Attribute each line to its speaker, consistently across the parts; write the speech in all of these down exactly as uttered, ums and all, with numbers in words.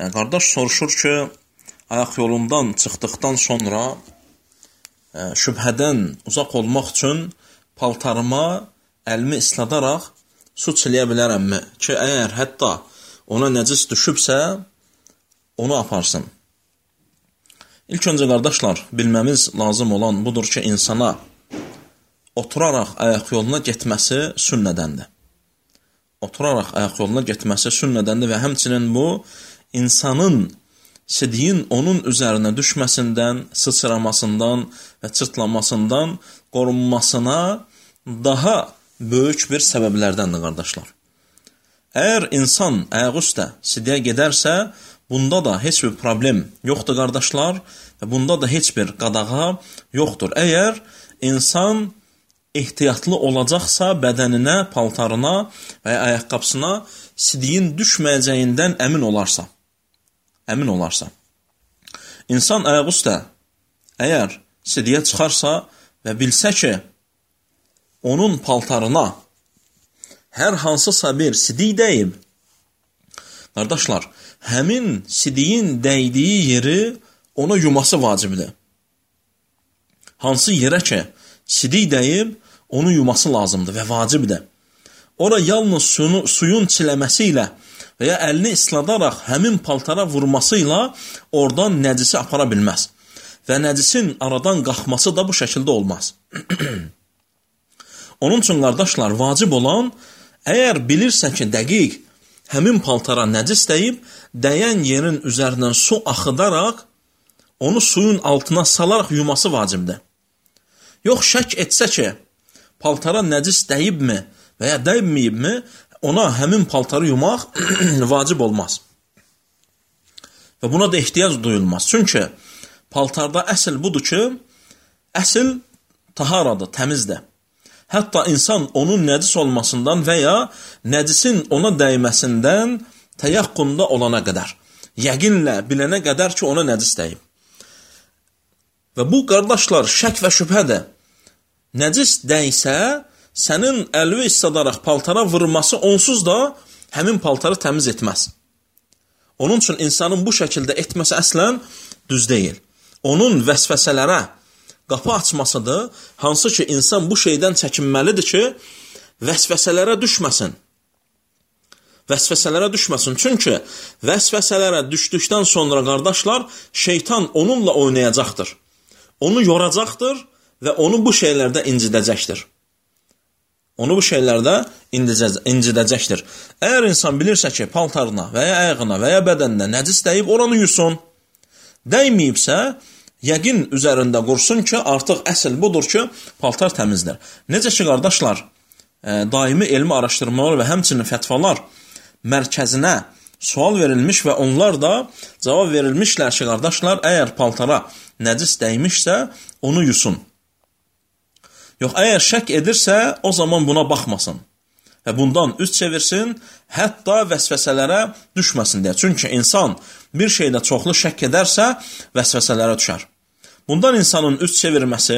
Speaker 1: Qardaş soruşur ki, ayaq yolundan çıxdıqdan sonra şübhədən uzaq olmaq üçün paltarıma əlimi isladaraq su çiləyə bilərəmmi? Ki, əgər hətta ona nəcis düşübsə, onu aparsın. İlk öncə, qardaşlar, bilməmiz lazım olan budur ki, insana oturaraq ayaq yoluna getməsi sünnədəndir. Oturaraq ayaq yoluna getməsi sünnədəndir və həmçinin bu, insanın sidiyin onun üzərinə düşməsindən, sıçramasından və çırtlamasından qorunmasına daha böyük bir səbəblərdəndir, qardaşlar. Əgər insan ayaq üstə sidiyə gedərsə, bunda da heç bir problem yoxdur, qardaşlar, və bunda da heç bir qadağa yoxdur. Əgər insan ehtiyatlı olacaqsa, bədəninə, paltarına və ya ayaqqabısına sidiyin düşməyəcəyindən əmin olarsa, əmin olarsa. İnsan ayaq üstə əgər sidiyə çıxarsa və bilsə ki, onun paltarına hər hansısa bir sidik dəyib, qardaşlar, həmin sidiyin dəydiyi yeri ona yuması vacibdir. Hansı yerə ki, sidik dəyib, onu yuması lazımdır və vacibdir. Ora yalnız suyunu, suyun çiləməsi ilə və ya əlini isladaraq həmin paltara vurması ilə oradan nəcisi apara bilməz. Və nəcisin aradan qalxması da bu şəkildə olmaz. Onun üçün, qardaşlar, vacib olan, əgər bilirsə ki, dəqiq həmin paltara nəcis dəyib, dəyən yerin üzərindən su axıdaraq, onu suyun altına salaraq yuması vacibdir. Yox, şək etsə ki, paltara nəcis dəyibmi və ya dəyməyibmi, ona həmin paltarı yumaq vacib olmaz. Və buna da ehtiyac duyulmaz. Çünki paltarda əsl budur ki, əsl taharadır, təmizdir. Hətta insan onun nəcis olmasından və ya nəcisin ona dəyməsindən təyaqqunda olana qədər, yəqinlə bilənə qədər ki, ona nəcis dəyib. Və bu, qardaşlar, şək və şübhədir. Nəcis dəysə, sənin əlvi istadaraq paltara vurması onsuz da həmin paltarı təmiz etməz. Onun üçün insanın bu şəkildə etməsi əslən düz deyil. Onun vəsvəsələrə qapı açmasıdır, hansı ki, insan bu şeydən çəkinməlidir ki, vəsvəsələrə düşməsin. Vəsvəsələrə düşməsin. Çünki vəsvəsələrə düşdükdən sonra, qardaşlar, şeytan onunla oynayacaqdır. Onu yoracaqdır və onu bu şeylərdə incidəcəkdir. Onu bu şeylərdə incidəcəkdir. Əgər insan bilirsə ki, paltarına və ya ayağına və ya bədəninə nəcis dəyib, oranı yusun. Dəyməyibsə, yəqin üzərində qursun ki, artıq əsl budur ki, paltar təmizdir. Necə ki, qardaşlar, daimi elmi araşdırmalar və həmçinin fətvalar mərkəzinə sual verilmiş və onlar da cavab verilmişlər ki, qardaşlar, əgər paltara nəcis dəymişsə, onu yusun. Yox, əgər şək edirsə, o zaman buna baxmasın və bundan üz çevirsin, hətta vəsvəsələrə düşməsin deyə. Çünki insan bir şeydə çoxlu şək edərsə, vəsvəsələrə düşər. Bundan insanın üz çevirməsi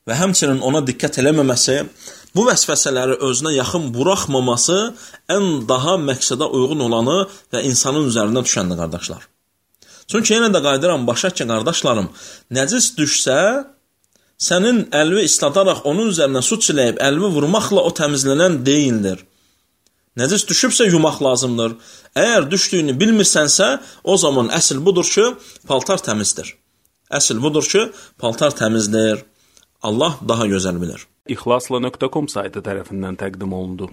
Speaker 1: və həmçinin ona diqqət eləməməsi, bu vəsvəsələri özünə yaxın buraxmaması ən daha məqsədə uyğun olanı və insanın üzərində düşəndir, qardaşlar. Çünki yenə də qaydıram başa ki, qardaşlarım, nəcis düşsə, sənin əlvi isladaraq onun üzərinə su çiləyib, əlvi vurmaqla o təmizlənən deyildir. Nəcis düşübsə yumaq lazımdır. Əgər düşdüyünü bilmirsənsə, o zaman əsl budur ki, paltar təmizdir. Əsl budur ki, paltar təmizdir. Allah daha gözəl bilir.
Speaker 2: İxlasla nöqtə com saytı tərəfindən təqdim olundu.